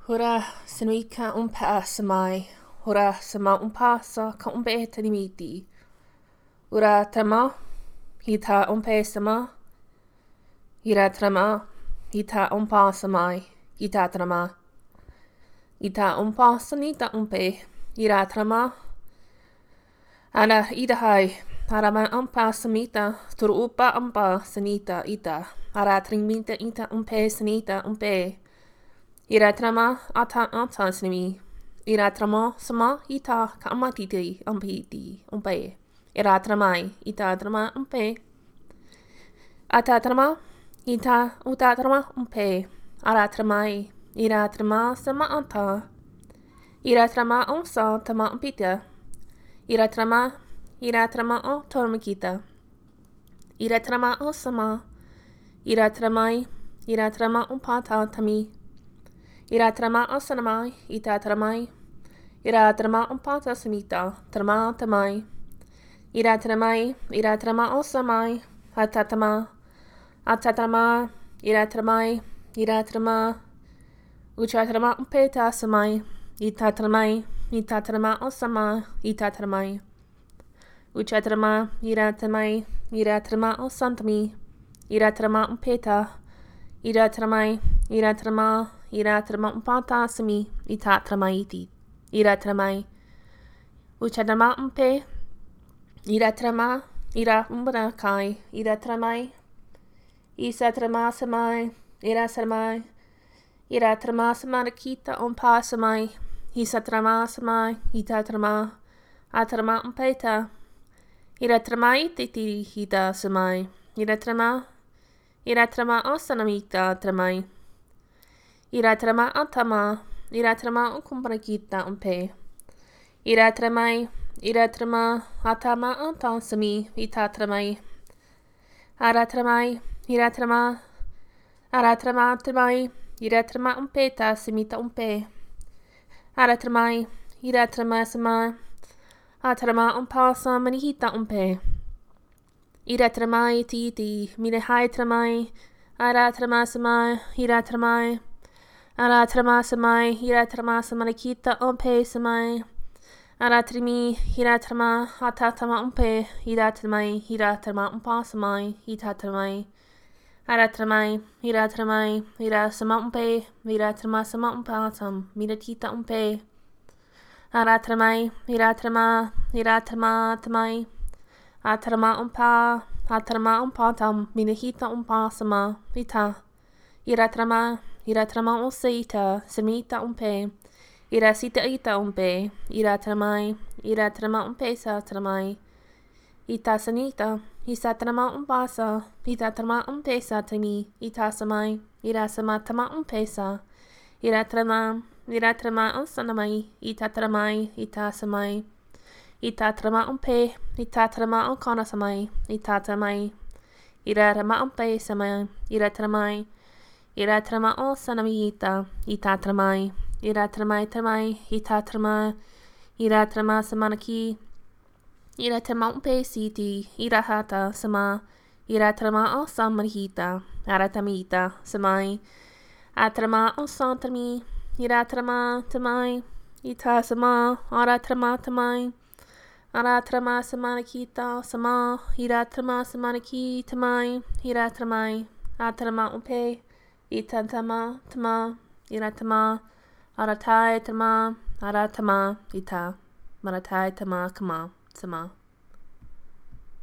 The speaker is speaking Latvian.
Hora senuika umpa samai. Hora sama umpa sa ka umpe tanimiti. Ura trama. Hita umpe sama. Ira trama. Hita umpa samai. Ita trama. Ita umpa sanita umpe. Ira trama. Ana idahai. Arama umpa samita. Turu upa umpa sanita ita. Ara trimita ita umpe sanita umpe. Ira trama ata snimi. Ira trama sama ita ka amatiti umpiti umpe. Ira tramai ita trama umpe. Ata trama ita uta trama umpe. Ara tramai ira trama sama ata. Ira trama onsa tama umpita. Ira trama o tormakita. Ira trama o sama. Ira tramai ira trama umpata tami. Ira trama o sanamai, ita tramai. Ira trama umpata samita, trama tamai. Ira trama o samai, atatama. Atatama, ira tramai, ira trama. Ucha trama umpeta samai, ita trama o sama, ita tramai. Ucha trama, ira trama o santami. Ira trama umpeta, ira trama umpata sami, ita tramaiti. Ira tramai. Ucha trama umpe. Ira trama, ira umbana kai. Ira tramai. Isa trama samai. Ira samai. Ira trama samanakita umpa samai. Isa trama samai. Ita trama. Atrama umpeta. Ira tramai titi hita samai. Ira trama o sanamita tramai. Ira trama atama. Ira trama ukumpanakita umpe. Ira trama atama ata sami. Ita tramai. Ara tramai. Ira trama tramai. Ira trama umpeta samita umpe. Ara tramai. Ira trama sama. Atrama umpasa manihita umpe. Ira tramai titi. Mine hai tramai. Ara trama samai. Ira tramai. Ara trama samai. Ira trama samanakita umpe samai. Ara trimi. Ira trama atatama umpe. Ira tramai. Ira trama umpa samai. Ita tramai. Ara tramai. Ira tramai. Ira sama umpe. Ira trama sama umpatam. Mira tita umpe. Ara tramai. Ira trama tamai. Atrama umpatam. Minahita umpa sama. Ita. Ira trama usaita. Samita umpe. Ira sita ita umpe. Ira tramai. Ira trama umpesa tramai. Ita sanita. Isa trama umpasa. Ita trama umpesa tami. Ita samai. Ira sama tama umpesa. Ira trama usanamai. Ita tramai. Ita samai. Ita trama umpe. Ita trama ukana samai. Ita tramai. Ira trama umpe samai. Ira tramai. Ira trama o sanamita. Ita tramai. Ira tramai. Ita trama. Ira trama samanaki. Ira trama umpe siti. Ira hata sama. Ira trama o samanhita. Ara tamita samai. Atrama o santami. Ira trama tamai. Ita sama. Ara trama tamai. Ara trama samanakita sama. Ira trama samanaki tamai. Ira tramai. Atrama umpe. Ita tama. Ira tama. Aratai tama. Aratama. Ita. Maratai tama kama. Sama.